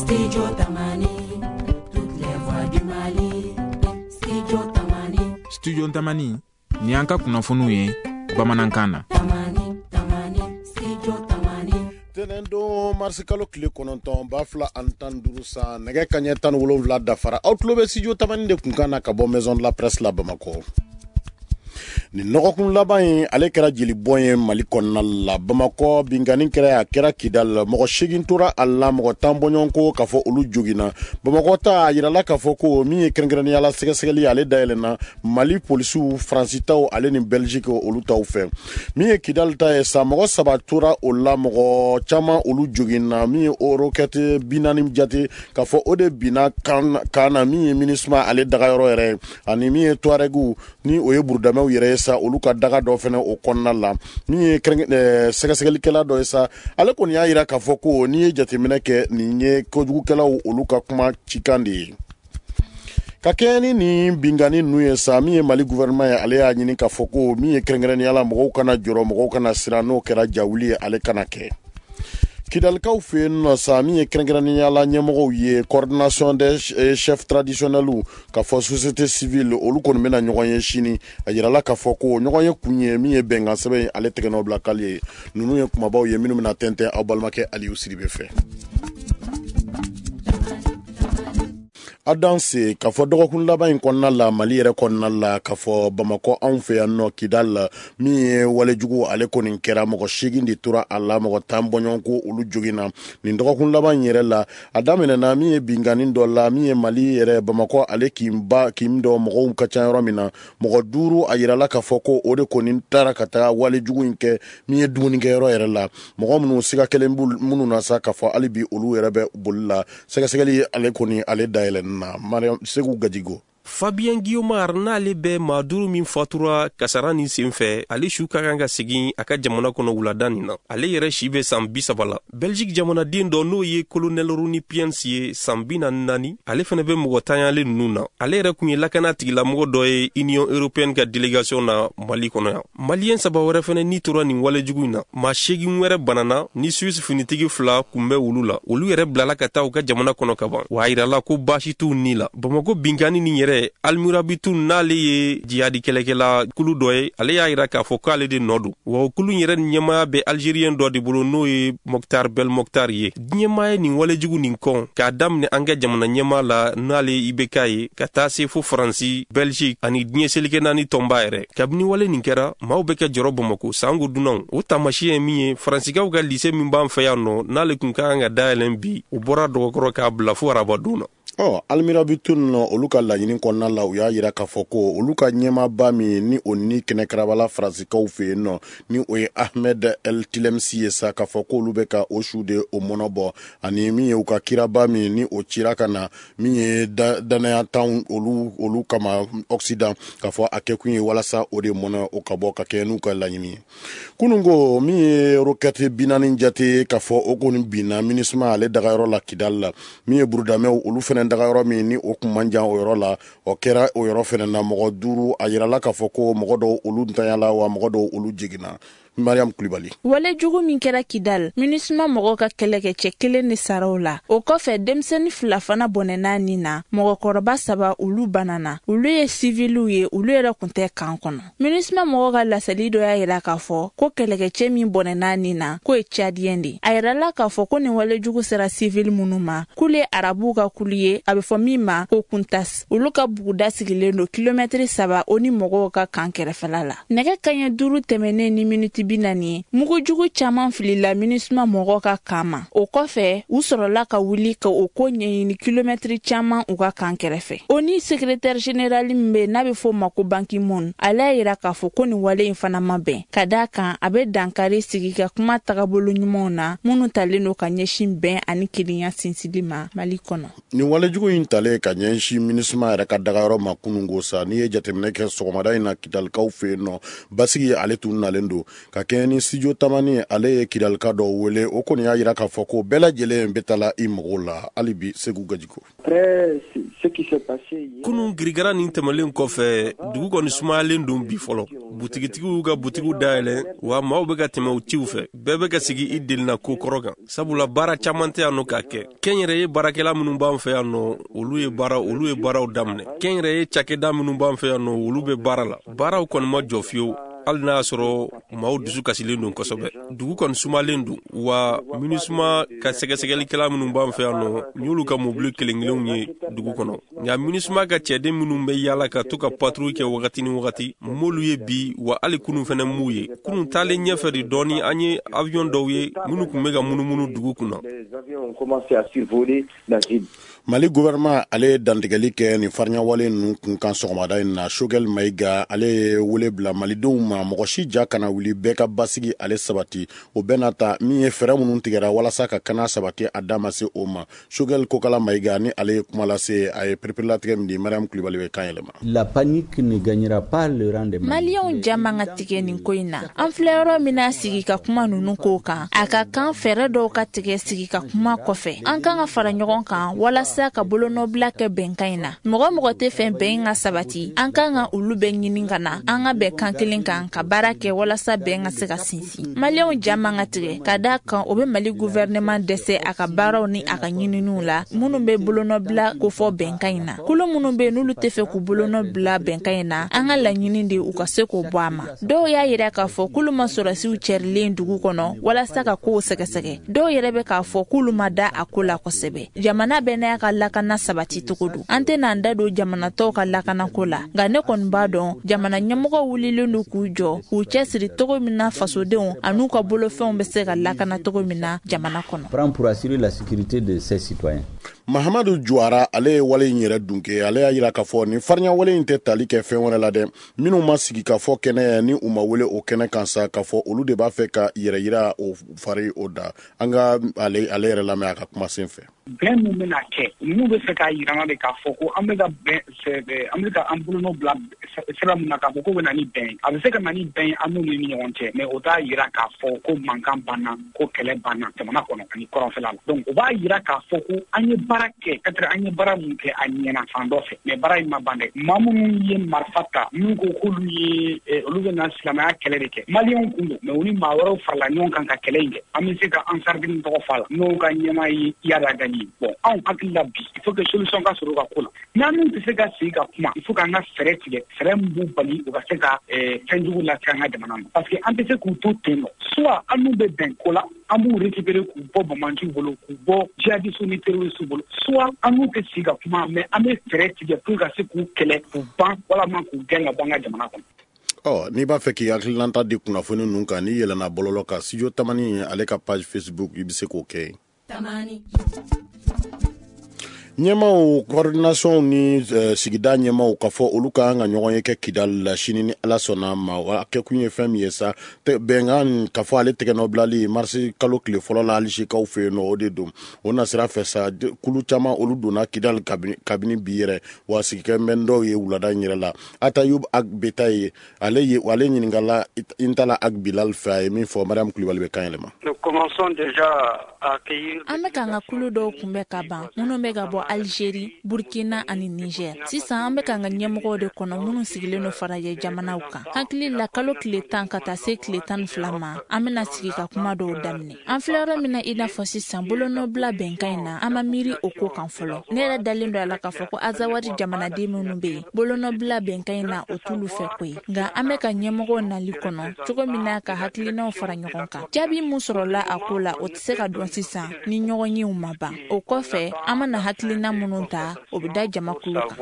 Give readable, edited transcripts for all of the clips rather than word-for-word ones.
Studio Tamani, toutes les voix du Mali. Studio Tamani. Studio Tamani, ni y'an ka kunnafoniw ye bamanankan na. Tamani, Tamani, Studio Tamani. Tɛnɛndon marisikalo tile 9 2015 san nɛgɛ kaɲɛ 17 dafara aw tulo bɛ studio Tamani de kunkan na ka bɔ maison de la presse la Bamakɔ. Nin lɔgɔkun laban in ale kɛra jelibɔn ye Mali kɔnɔna la Bamakɔ binkanni kɛra a kɛra Kidal mɔgɔ 8 tora a la mɔgɔ 10 bɔɲɔgɔnko k'a fɔ olu joginna Bamakɔ ta a yirala k'a fɔ ko min ye kɛrɛnkɛrɛnnenya la sɛgɛsɛgɛli ale dayɛlɛnna Mali polisiw Faransi taw ale ni Belgique olu taw fɛ min ye Kidal ta ye sa mɔgɔ 3 tora o la mɔgɔ caman olu joginna min ye o roquette 40 jate k'a fɔ o de binna kan na min ye MINUSMA ale dagayɔrɔ yɛrɛ ye ani min ye Touareg ni o ye burudamɛw yɛrɛ ye sa olu ka daga dɔ fɛnɛ o kɔnɔna la min ye sɛgɛsɛgɛlikɛla dɔ ye sa ale kɔni y'a yira k'a fɔ ko n'i ye jateminɛ kɛ nin ye kojugukɛlaw olu ka kuma cikan de ye ka kɛɲɛ ni nin binkanni ninnu ye sa min ye Mali gouvernement ye ale y'a ɲini k'a fɔ ko min ye kɛrɛnkɛrɛnnenya la mɔgɔw kana jɔrɔ mɔgɔw kana siran n'o kɛra jawuli ye ale kana kɛ Kidalikaw fɛ yen nɔ sa min ye kɛrɛnkɛrɛnnenya la ɲɛmɔgɔw ye coordination des chefs traditionnels k'a fɔ société civile olu kɔni bɛna ɲɔgɔn ye sini a yirala k'a fɔ ko ɲɔgɔn ye kun ye min ye bɛnkan sɛbɛn ye ale tɛgɛnɔ bila kali ye ninnu ye kumabaw ye minnu bɛna tɛntɛn aw balimakɛ Aliyu Sidibe fɛ. A danse k'a fɔ dɔgɔkun laban in kɔnɔna la Mali yɛrɛ kɔnɔna la k'a fɔ Bamakɔ anw fɛ yan nɔ Kidal la min ye walejugu ale kɔni kɛra mɔgɔ 8 de tora a la mɔgɔ 10 bɔɲɔgɔnko olu joginna nin dɔgɔkun laban in yɛrɛ la a daminɛna min ye binkanni dɔ la min ye Mali yɛrɛ Bamakɔ ale kinba kin dɔ mɔgɔw ka ca yɔrɔ min na mɔgɔ 5 a yirala k'a fɔ ko o de kɔni taara ka taga walejugu in kɛ min ye dumunikɛyɔrɔ yɛrɛ la mɔgɔ minnu siga kelen minnu na sa k'a fɔ hali bi olu yɛrɛ bɛ boli la sɛgɛsɛgɛli ale kɔni ale dayɛlɛnna Mariam Segu Gajigo. Fabien Guiomar n'ale bɛ maa 5 min fatura kasara nin sen fɛ ale su ka kan ka segin a ka jamana kɔnɔ wulada nin na ale yɛrɛ si bɛ san 30 la Belgique jamanaden dɔ n'o ye colonel Rony Piens ye san 44 ale fana bɛ mɔgɔ tanyalen ninnu na ale yɛrɛ kun ye lakana tigilamɔgɔ dɔ ye Union européenne ka délégation na Mali kɔnɔ yan Maliyɛn 3 wɛrɛ fana ni tora nin walejugu in na maa 8 wɛrɛ banana ni Suisse finitigi 2 kun bɛ olu la olu yɛrɛ bilala ka taa u ka jamana kɔnɔ ka ban wa a yirala ko baasi t'u ni la Bamakɔ binkanni nin yɛrɛ Almurabitu n'ale ye jihadi kɛlɛkɛla kulu dɔ ye ale y'a yira k'a fɔ k'ale de nɔ don wa o kulu yɛrɛ ɲɛmaaya bɛ Algérien dɔ de bolo n'o ye Mokhtar Belmokhtar ye diɲɛmaa ye nin walejugu nin kɔn k'a daminɛ an ka jamana ɲɛmaa la n'ale IBK ye ka taa se fo Faransi Belgique ani diɲɛ seleke naani tɔnba yɛrɛ kabini wale nin kɛra maaw bɛ kɛ jɔrɔ Bamakɔ sango dunanw o taamasiyɛn ye min ye Faransikaw ka lise min b'an fɛ yan nɔ n'ale kun ka kan ka dayɛlɛn bi o bɔra dɔgɔkɔrɔ k'a bila fo arabadon na Ɔ Almurabitu nɔ olu ka laɲini kɔnɔna la u y'a yira k'a fɔ ko olu ka ɲɛmaaba min ni o ni kɛnɛkarabala Faransikaw fɛ yen nɔ ni o ye Ahmed El Tilemsi ye sa k'a fɔ k'olu bɛ ka o su de o mɔnɔ bɔ ani min ye u ka kiraba min ni o cira ka na min ye danaya tan olu kama Occident k'a fɔ a kɛkun ye walasa o de mɔnɔ o ka bɔ ka kɛ n'u ka laɲini ye kunun ko min ye roquette 40 jate k'a fɔ o kɔni binna MINUSMA ale dagayɔrɔ la Kidal la min ye burudamɛw olu fɛnɛ dagayɔrɔ min ni o kun man jan o yɔrɔ la o kɛra o yɔrɔ fɛnɛ na mɔgɔ 5 a yirala k'a fɔ ko mɔgɔ dɔw olu ntanyala wa mɔgɔ dɔw olu jiginna Mariam Kulibali. Wale jugu min kɛra Kidal, MINUSMA mɔgɔw ka kɛlɛkɛcɛ 1 de sara o la. O kɔfɛ denmisɛnnin 2 fana bɔnɛna nin na, mɔgɔkɔrɔba 3 olu banana. Olu ye siviliw ye, olu yɛrɛ kun tɛ kan kɔnɔ. MINUSMA mɔgɔw ka laseli dɔ y'a yira k'a fɔ ko kɛlɛkɛcɛ min bɔnɛna nin na, k'o ye Tchadien de. A yirala k'a fɔ ko nin wale jugu sera sivili minnu ma, k'olu ye arabuw ka kulu ye, a bɛ fɔ min ma ko Kuntas. Olu ka buguda sigilen don kilomɛtiri 3 o ni mɔgɔw ka kan kɛrɛfɛla la. Nɛgɛ kaɲɛ 5 tɛmɛnen ni miniti 40 mugujugu caman filila MINUSMA mɔgɔw ka kan ma. O kɔfɛ, u sɔrɔla ka wuli ka o ko ɲɛɲini kilomɛtiri caman u ka kan kɛrɛfɛ. O ni secrétaire général min bɛ n'a bɛ fɔ o ma ko Ban Ki-moon, ale y'a yira k'a fɔ ko nin wale in fana ma bɛn. Ka d'a kan, a bɛ dankari sigi ka kuma tagabolo ɲumanw na minnu talen don ka ɲɛsin bɛn ani kelenya sinsili ma Mali kɔnɔ. Nin walejugu in talen ka ɲɛsin MINUSMA yɛrɛ ka dagayɔrɔ ma kunungo sa n'i ye jateminɛ kɛ sɔgɔmada in na Kidalikaw fɛ yen nɔ basigi ale tun nalen don Ka kɛɲɛ ni Studio Tamani, ale ye Kidalika dɔw wele, o kɔni y'a jira k'a fɔ ko bɛɛ lajɛlen bɛ taa i mago la hali bi. Segu Gajiko. Kunun girigara nin tɛmɛlen kɔfɛ, dugu kɔni sumayalen don bi fɔlɔ. Butigitigiw y'u ka butigiw dayɛlɛ, wa maaw bɛ ka tɛmɛ u ciw fɛ. Bɛɛ bɛ ka sigi i delina ko kɔrɔ kan, sabula baara caman tɛ yan nɔ k'a kɛ. Kɛnyɛrɛye baarakɛla minnu b'an fɛ yan nɔ, olu ye baaraw daminɛ. Kɛnyɛrɛye cakɛda minnu b'an fɛ yan nɔ, olu bɛ baara la. Baaraw kɔni ma jɔ fiyewu, hali n'a y'a sɔrɔ maaw dusu kasilen don kosɛbɛ. Dugu kɔni sumalen don, wa MINUSMA ka sɛgɛsɛgɛlikɛla minnu b'an fɛ yan nɔ, n y'olu ka mobili kelen kelenw ye dugu kɔnɔ. Nka MINUSMA ka cɛden minnu bɛ yaala ka to ka patrouille kɛ wagati ni wagati, n m'olu ye bi, wa hali kunun fɛnɛ m'u ye. Kunun taalen ɲɛfɛ de dɔɔni, an ye avion dɔw ye minnu tun bɛ ka munumunu dugu kunna. Mali gouvernement, ale ye dantigɛli kɛ nin fariɲawale ninnu kun kan sɔgɔmada in na. Choguel Maïga, ale ye wele bila malidenw ma, mɔgɔ si ja kana wuli, bɛɛ ka basigi ale sabati. O bɛɛ n'a ta, min ye fɛɛrɛ minnu tigɛra walasa ka kana sabati, a da ma se o ma. Choguel Kokala Maïga ni ale ye kuma lase, a ye pereperelatigɛ min di, Mariam Kulibali bɛ kan yɛlɛma. La panique ne gagnera pas le rang des Maliyɛnw ja man ka tigɛ nin ko in na. An filɛ yɔrɔ min na, sigi ka kuma ninnu ko kan, a ka kan fɛɛrɛ dɔw ka tigɛ sigi ka kuma kɔfɛ. An kan ka fara ɲɔgɔn kan walasa ka bolonɔbila kɛ bɛnkan in na. Mɔgɔ mɔgɔ tɛ fɛ bɛn ka sabati, an kan ka olu bɛɛ ɲini ka na an ka bɛn kan kelen kan ka baara kɛ walasa bɛn ka se ka sinsin. Maliyɛnw ja man ka tigɛ, ka da kan o bɛ Mali gouvernement dɛsɛ a ka baaraw ni a ka ɲininiw la. Minnu bɛ bolonɔbila kofɔ bɛnkan in na, kulu minnu bɛ yen n'olu tɛ fɛ k'u bolonɔ bila bɛnkan in na, an ka laɲini de u ka se k'o bɔ a ma. Dɔw y'a yira k'a fɔ k'olu ma sɔrɔsiw cɛrilen dugu kɔnɔ walasa ka kow sɛgɛsɛgɛ. Dɔw yɛrɛ bɛ k'a fɔ k'olu ma da a ko la kosɛbɛ. Jamana bɛɛ n'a ka lakana sabati cogo don. An tɛna an da don jamana tɔw ka lakanako la, nka ne kɔni b'a dɔn jamana ɲɛmɔgɔw wulilen don k'u jɔ k'u cɛsiri cogo min na fasodenw an'u ka bolofɛnw bɛ se ka lakana cogo min na jamana kɔnɔ. Prend pour assurer la sécurité de ses citoyens. Mahamadu Juwara, ale ye wale in yɛrɛ dunke. Ale y'a yira k'a fɔ nin farinya wale in tɛ tali kɛ fɛn wɛrɛ la dɛ, minnu ma sigi ka fɔ kɛnɛ ni u ma wele o kɛnɛ kan sa, k'a fɔ olu de b'a fɛ ka yɛrɛ yira o fari o da. An ka ale yɛrɛ lamɛn a ka kuma sen fɛ. Bɛn min bɛna kɛ, ninnu bɛ fɛ k'a yira de k'a fɔ ko an bɛ ka bɛn, an bɛ ka an bolonɔ bila sira min na, k'a fɔ ko bɛ na ni bɛn ye. A bɛ se ka na ni bɛn ye an n'u ni ɲɔgɔn cɛ, mais o t'a yira k'a fɔ ko mankan banna, ko kɛlɛ banna jamana kɔnɔ ani kɔrɔnfɛla la. Donc o b'a yira k'a fɔ ko an ye baara kɛ, peut-être an ye baara mun kɛ, a ɲɛna fan dɔ fɛ, mais baara in ma ban dɛ. Maa minnu ye marifa ta, minnu ko k'olu ye olu bɛ na silamɛya kɛlɛ de kɛ, maliyɛnw kun don, mais u ni maa wɛrɛw farala ɲɔgɔn kan ka kɛlɛ in kɛ. An bɛ se ka Ansardine tɔgɔ f'a la, n'o ka ɲɛmaa ye Iyad Ag Ghali. Bon, anw hakili la bi, il faut que solution ka sɔrɔ u ka ko la. N'an min tɛ se ka sigi ka kuma, il faut k'an ka fɛɛrɛ tigɛ, fɛɛrɛ min b'u bali u ka se ka fɛn jugu lase an ka jamana ma, parce que an tɛ se k'u to ten nɔ. Soit an n'u bɛ bɛn ko la, an b'u récupérer k'u bɔ banbaanciw bolo, k'u bɔ jihadistes ni terroristes bolo, soit an n'u tɛ sigi ka kuma, mais an bɛ fɛɛrɛ tigɛ pour ka se k'u kɛlɛ k'u ban, walama k'u gɛn ka bɔ an ka jamana kɔnɔ. Ɔ, n'i b'a fɛ k'i hakilinata di kunnafoni ninnu kan, n'i yɛlɛnna bɔlɔlɔ kan, Studio Tamani ale ka page Facebook, i bɛ se k'o kɛ yen. Ɲɛmaw coordination ni sigida ɲɛmaw ka fɔ olu ka kan ka ɲɔgɔn ye kɛ Kidali la sini ni Ala sɔnna ma. A kɛkun ye fɛn min ye sa, bɛnkan ka fɔ ale tɛgɛnɔ bilali marisi kalo tile fɔlɔ la Alizekaw fɛ yen nɔ, o de don. O nasira fɛ sa, kulu caman olu donna Kidali kabini bi yɛrɛ, wa sigikɛ bɛ dɔw ye wulada in yɛrɛ la. Atayub Ag Beta ye ale ye, ale ɲininkala Intala Ag Bilal fɛ, a ye min fɔ, Mariam Kulibali bɛ kan yɛlɛma. An bɛ k'an ka kulu dɔw kunbɛn ka ban, minnu bɛ ka bɔ Algérie, Burkina ani Niger. Sisan an bɛ k'an ka ɲɛmɔgɔw de kɔnɔ, minnu sigilen don farajɛ jamanaw kan. Hakili la, kalo tile 10 ka taa se tile 12 ma, an bɛna sigi ka kuma dɔw daminɛ. An filɛ yɔrɔ min na i n'a fɔ sisan, bolonɔbila bɛnkan in na, an ma miiri o ko kan fɔlɔ. Ne yɛrɛ dalen don a la k'a fɔ ko Azawadi jamanaden minnu bɛ yen, bolonɔbila bɛnkan in na, o t'olu fɛ ko ye. Nka an bɛ ka ɲɛmɔgɔw nali kɔnɔ cogo min na ka hakilinaw fara ɲɔgɔn kan. Jaabi mun sɔrɔla a ko la, o tɛ se ka dɔn sisan ni ɲɔgɔn yew ma ban. O kɔfɛ, an mana hakilina minnu ta, o bɛ da jamakulu kan.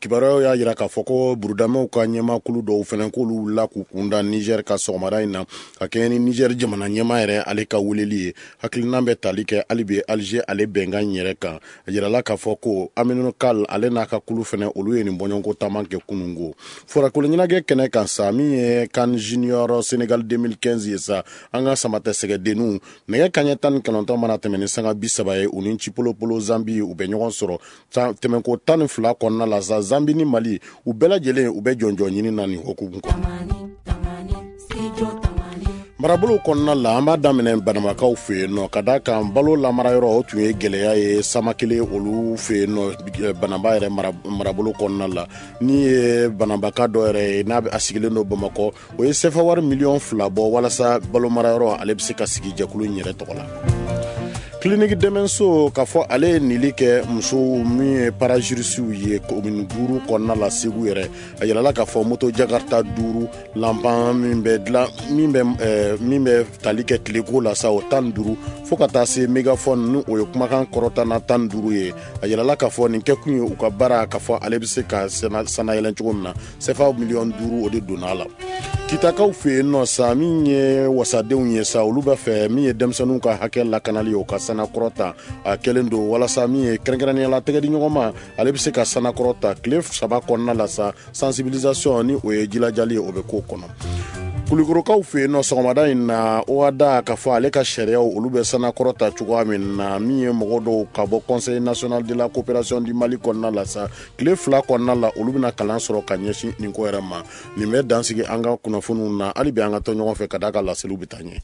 Kibaruyaw y'a jira k'a fɔ ko burudamɛw ka ɲɛmakulu dɔw fana k'olu wulila k'u kunda Niger ka sɔgɔmada in na, ka kɛɲɛ ni Niger jamana ɲɛmaa yɛrɛ ale ka weleli ye. Hakilina bɛ tali kɛ hali bi Alger ale bɛnkan in yɛrɛ kan. A yirala k'a fɔ ko Aminu Kal, ale n'a ka kulu fana, olu ye nin bɔɲɔgɔnko taama kɛ kununko. Farakolo ɲɛnajɛ kɛnɛ kan sa, min ye CAN Junior Sénégal 2015 ye sa, an ka samatɛ sɛgɛdenninw, nɛgɛ kaɲɛ 19 mana tɛmɛ ni sanga 30 ye, u ni Chipolopolo Zambi u bɛ ɲɔgɔn sɔrɔ tɛmɛnko 12 kɔnɔna la. sa, Zambi ni Mali, u bɛɛ lajɛlen u bɛ jɔnjɔn ɲini na nin hukumu kɔnɔ. Marabolo kɔnɔna la, an b'a daminɛ Banabakaw fɛ yen nɔ, ka da kan balo lamarayɔrɔ, o tun ye gɛlɛya ye Samakele olu fɛ yen nɔ, Banaba yɛrɛ marabolo kɔnɔna la. Ni ye Banabaka dɔ yɛrɛ ye, n'a a sigilen don Bamakɔ, o ye sefa wari miliyɔn 2 bɔ walasa balo marayɔrɔ ale bɛ se ka sigi jɛkulu in yɛrɛ tɔgɔ la. Kiliniki dɛmɛso, k'a fɔ ale ye nili kɛ musow min ye parajurisiw ye commune duuru kɔnɔna la Segu yɛrɛ. A yirala k'a fɔ moto jakarta duuru, lanpan min bɛ dilan, min bɛ tali kɛ tileko la sa, o 15, fo ka taa se mégaphone, ni o ye kumakan kɔrɔtana 15 ye. A yirala k'a fɔ nin kɛkun ye u ka baara, k'a fɔ ale bɛ se ka sanayɛlɛn cogo min na. Sefa miliyɔn 5, o de donna a la. Kitakaw fɛ yen nɔ sa, min ye wasadenw ye sa, olu b'a fɛ min ye denmisɛnninw ka hakɛ lakanali ye, o ka sanakɔrɔ ta. A kɛlen don walasa min ye kɛrɛnkɛrɛnnenya la tɛgɛdi ɲɔgɔn ma, ale bɛ se ka sanakɔrɔ ta tile 3 kɔnɔna la sa. Sensibilisation, ni o ye jilajali ye, o bɛ k'o kɔnɔ. Kulikorokaw fɛ yen nɔ, sɔgɔmada in na, OHADA, k'a fɔ ale ka sariyaw, olu bɛ sanakɔrɔ ta cogoya min na, min ye mɔgɔ dɔw ka bɔ Conseil national de la coopération du Mali kɔnɔna la sa, tile 2 kɔnɔna la, olu bɛna kalan sɔrɔ ka ɲɛsin nin ko yɛrɛ ma. Nin bɛ dansigi an ka kunnafoniw na. Hali bi an ka to ɲɔgɔn fɛ, ka d'a ka laseliw bɛ taa ɲɛ.